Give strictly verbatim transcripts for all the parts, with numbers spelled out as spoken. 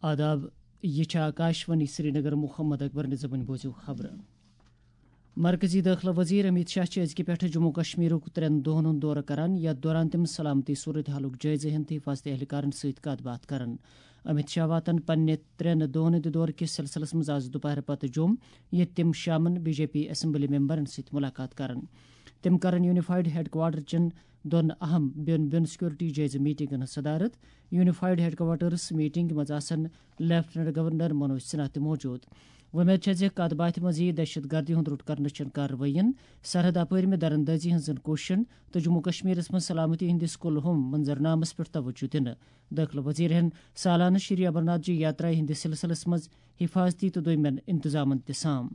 آداب، یہِ چھِ آکاشوانی سرینگر۔ محمد اکبر نظامٕنۍ بوٗزِو خبرٕ۔ مرکزی دٲخلہٕ وزیر امیت شاہ چھِ أزکہِ پٮ۪ٹھٕ جموں کشمیرُک ترٛٮ۪ن دۄہَن ہُنٛد دورٕ کران، یَتھ دوران تِم سلامتی صورت حالُک جٲیزٕ ہٮ۪ن تہٕ حفاظتی اہلکارَن سۭتۍ کَتھ باتھ کران۔ امیت شاہ واتَن پننہِ ترٛٮ۪ن دۄہَن ہٕنٛدِ دورٕ کِس سلسلس منٛز آز دُپہرٕ پتہٕ جوٚم، ییٚتہِ تِم شامَن بی جے پی اسمبلی ممبرَن سۭتۍ مُلاقات کرَن۔ تِم کرَن یونیفائیڈ ہیڈ کوارٹر چٮ۪ن دۄن اہم بیوٚن بیوٚن سیکورٹی جٲیزٕ میٹنگن ہٕنٛز صدارت۔ یونیفائیڈ ہیڈ کوارٹرس میٹنگ منٛز آسَن لیفٹیننٹ گورنر منوج سنہا تہِ موجود۔ وۄمید چھےٚ زِ کتھ باتھِ منٛز یِیہِ دہشت گردی ہُنٛد روٚٹ کرنہٕ چٮ۪ن کاروٲیین، سرحد اپٲرۍ مہِ درندٲزی ہٕنٛزن کوٗششن تہٕ جموں کشمیرس منٛز سلامتی ہٕنٛدِس کُلہُم منظرنامس پٮ۪ٹھ توجہ دِنہٕ۔ دٲخلہٕ وزیر ہٮ۪ن سالانہٕ شری امرناتھ جی یاترا ہٕنٛدِس سلسلس منٛز حفاظتی تہٕ دوٚیمٮ۪ن انتظامن تہِ سام۔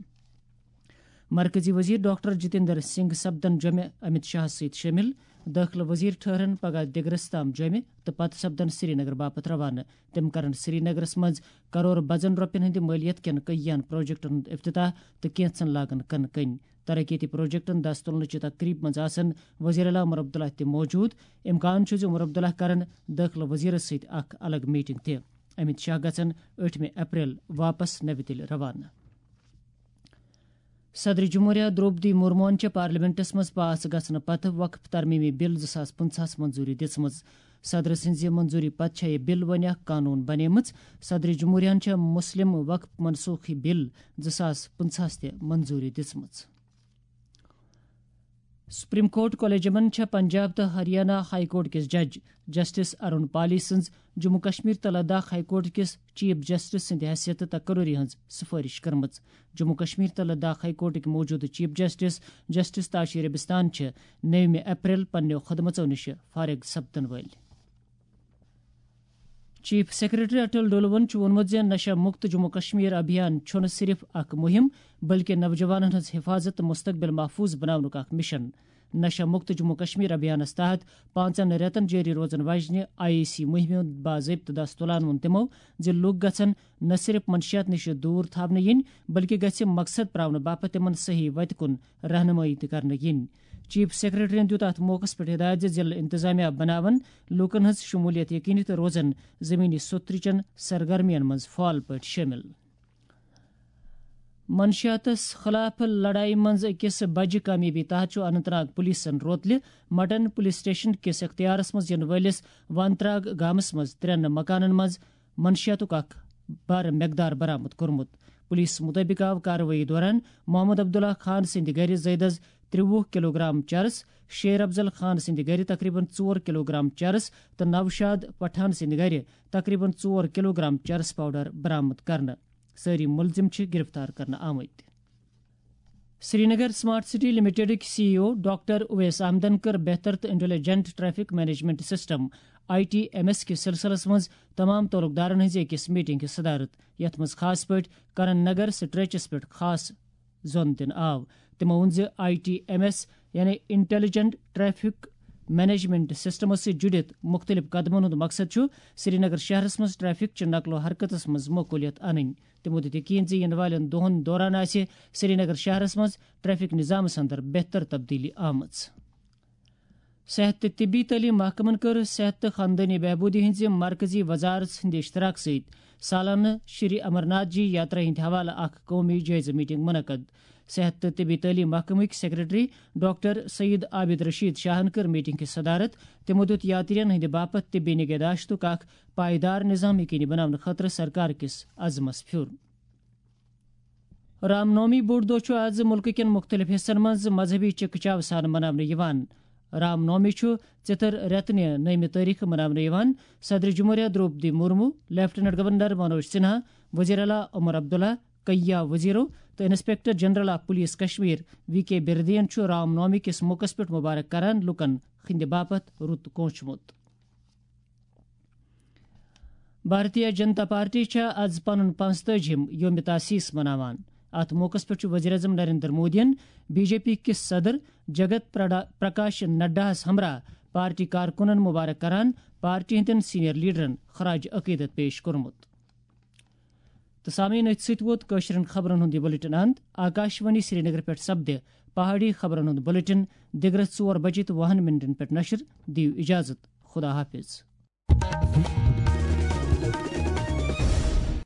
مرکزی وزیر ڈاکٹر جتیندر سنگھ سپدن جوٚمہِ امت شاہس سۭتۍ شٲمِل۔ دٲخلہٕ وزیر ٹھٔہرن پگاہ دِگرس تام جوٚمہِ تہٕ پتہٕ سپدن سرینگر باپتھ روانہٕ۔ تِم کرن سرینگرس منٛز کرور بجن رۄپین ہٕنٛدِ مٲلیت کٮ۪ن کٔیَن پروجیکٹن ہُنٛد افتتاح تہٕ کینٛژن لاگن کنہٕ کنۍ۔ ترقیتی پروجیکٹن دست تُلنہٕ چہِ تقریب منٛز آسن وزیر اعلیٰ عمر عبداللہ تہِ موجود۔ امکان چھُ زِ عمر عبداللہ کرن دٲخلہٕ وزیرس سۭتۍ اکھ الگ میٹنگ تہِ۔ امت شاہ گژھن ٲٹھمہِ اپریل واپس نوِ دِلہِ روانہٕ۔ صدر جمہوریہ درٛوپدی مرموہن چھےٚ پارلیمنٹس منٛز پاس گژھنہٕ پتہٕ وقف ترمیمی بل زٕ ساس پٕنٛژٕہس منظوٗری دِژمٕژ۔ صدر سٕنٛزِ منظوٗری پتہٕ چھےٚ یہِ بل وۄنۍ اکھ قانون بنیمٕژ۔ صدر جمہوریہن چھےٚ مسلم وقف منسوخی بل زٕ ساس پٕنٛژٕہس تہِ منظوٗری دِژمٕژ۔ سپریم کورٹ کولیجمن چھےٚ پنجاب تہٕ ہریانہ ہائی کورٹ کِس جج جسٹس ارون پالی سٕنٛز جموں کشمیر تہٕ لداخ ہائی کورٹ کِس چیف جسٹس سٕنٛدِ حیثیتہٕ تقرری ہٕنٛز سفٲرش کٔرمٕژ۔ جموں کشمیر تہٕ لداخ ہائی کورٹٕکۍ موجودٕ chief justice justice Tashi Rabistan چھِ نٔومہِ اپریل پننیو خدمژو نِش فارغ سپدن وٲلۍ۔ چیف سیکرٹری اٹل ڈولون چھُ ووٚنمُت زِ نشہ مکت جموں کشمیر ابھیان چھُنہٕ صرف اکھ مہم، بلکہِ نوجوانن ہٕنٛز حفاظت تہٕ مستقبل محفوظ بناونُک اکھ مشن۔ نشہ مکت جموں کشمیر ابھیانس تحت پانٛژن رٮ۪تن جٲری روزن واجنہِ آئی سی مہمہِ ہُنٛد باضٲبطہٕ دست تُلان ووٚن تِمو زِ لوٗکھ گژھن نہ صرف منشیات نِش دوٗر تھاونہٕ یِنۍ، بلکہِ گژھِ مقصد پراونہٕ باپتھ تِمن صحیح وتہِ کُن رہنمٲیی تہِ کرنہٕ یِنۍ۔ چیف سیکرٹریَن دیُت اَتھ موقعَس پٮ۪ٹھ ہدایت زِ ضلعہٕ انتظامیہ بناون لوٗکَن ہٕنٛز شمولیت یقینی تہٕ روزن زمینی سوٚترِ چٮ۪ن سرگرمین منٛز فعال پٲٹھۍ شٲمِل۔ منشیاتس خلاف لڑایہِ منٛز أکِس بجہِ کامیٲبی تحت چھُ Anant Nag پولیسن روتلہِ mutton police station کِس اختیارس منٛز یِنہٕ وٲلِس وانتراگ گامس منٛز ترٛٮ۪ن مکانن منٛز منشیاتُک اکھ بڑٕ مقدار برآمد کوٚرمُت۔ پولیس مُطٲبِق آو کاروٲیی دوران محمد عبداللہ خان سٕنٛدِ گرِ زٲیدس ترٛوُہ کلوگرام چرس، شیر افضل خان سٕنٛدِ گرِ تقریباً ژور کلوگرام چرس تہٕ نوشاد پٹھان سٕنٛدِ گرِ تقریباً ژور کلوگرام چرس پاؤڈر برآمد کرنہٕ۔ سٲری مُلزِم چھِ گِرِفتار کرنہٕ آمٕتۍ۔ سرینگر سمارٹ سٹی لمیٹڈٕکۍ C E O doctor Owais احمدن کٔر بہتر تہٕ intelligent traffic management system, I T M S کِس سلسلس منٛز تمام تعلقدارن ہٕنٛزِ أکِس میٹنگ ہٕنٛز صدارت، یتھ منٛز خاص پٲٹھۍ کرن نگر سٹریچس پٮ۪ٹھ خاص زۄن دِنہٕ آو۔ تِمو ووٚن زِ آئی ٹی ایم ایس، یعنی انٹیلیجنٹ ٹریفک مینجمنٹ سسٹمس سۭتۍ جُڑِتھ مُختٔلِف قدمن ہُنٛد مقصد چھُ سرینگر شہرس منٛز ٹریفک چہِ نقل و حرکتس منٛز معقولیت انٕنۍ۔ تِمو دیُت یقین زِ یِنہٕ والٮ۪ن دۄہَن دوران آسہِ سرینگر شہرَس منٛز ٹریفک نظامَس اندر بہتر تبدیلی آمٕژ۔ صحت تہٕ طبی تعلیٖم محکمَن کٔر صحت تہٕ خاندٲنی بہبوٗدی ہٕنٛزِ مرکزی وزارت ہٕنٛدِ اشتراک سۭتۍ سالانہٕ شری امرناتھ جی یاترا ہٕنٛدِ حوالہٕ اکھ قومی جٲیزٕ میٹنگ منعقد۔ صحت تہٕ طبی تعلیٖم محکمٕکۍ سیکرٹری ڈاکٹر سعید عابد رشید شاہَن کٔر میٹنگ ہٕنٛز صدارت۔ تِمو دیُت یاترین ہٕنٛدِ باپتھ طبی نگہداشتُک اکھ پائیدار نظام یقینی بناونہٕ خٲطرٕ سرکار کِس عزمس پھیُر۔ رام نومی بوٚڑ دۄہ چھُ آز مُلکہٕ کٮ۪ن مُختٔلِف حصن منٛز مذہبی چکہ چاو سان مناونہٕ یِوان۔ رام نومی چھُ ژِتھر رٮ۪تہٕ نہِ نٔیمہِ تٲریخہٕ مناونہٕ یِوان۔ صدر جمہوریہ درٛوپدی مرمو، لیفٹیننٹ گورنر منوج سنہا، وزیر اعلیٰ عمر عبداللہ، کئیہ وزیرو تہٕ inspector general of police Kashmir V K بردین چھُ رام نومی کِس موقعس پٮ۪ٹھ مبارک کران لوٗکن ہٕنٛدِ باپتھ رُت کونچمُت۔ بھارتیہ جنتا پارٹی چھےٚ از پنُن پانٛژتٲجِم یوم تاسیس مناوان۔ اتھ موقعس پٮ۪ٹھ چھُ وزیر اعظم نریندر مودیَن بی جے پی کِس صدر جگت پرڈا-، پرکاش نڈاہَس ہمراہ پارٹی کارکُنَن مبارک کران پارٹی ہٕنٛدٮ۪ن سینئر لیڈرَن خراج عقیدت پیش کوٚرمُت۔ تہٕ سامعیٖن، أتھۍ سۭتۍ ووت کٲشرٮ۪ن خبرن ہُنٛد یہِ بلیٹن اند۔ آکاشوانی سرینگر پٮ۪ٹھ سپدِ پہاڑی خبرن ہُنٛد بلیٹن دِگرس ژور بجے تہٕ وُہن منٹن پٮ۪ٹھ نشر۔ دِیِو اجازت۔ خدا حافظ۔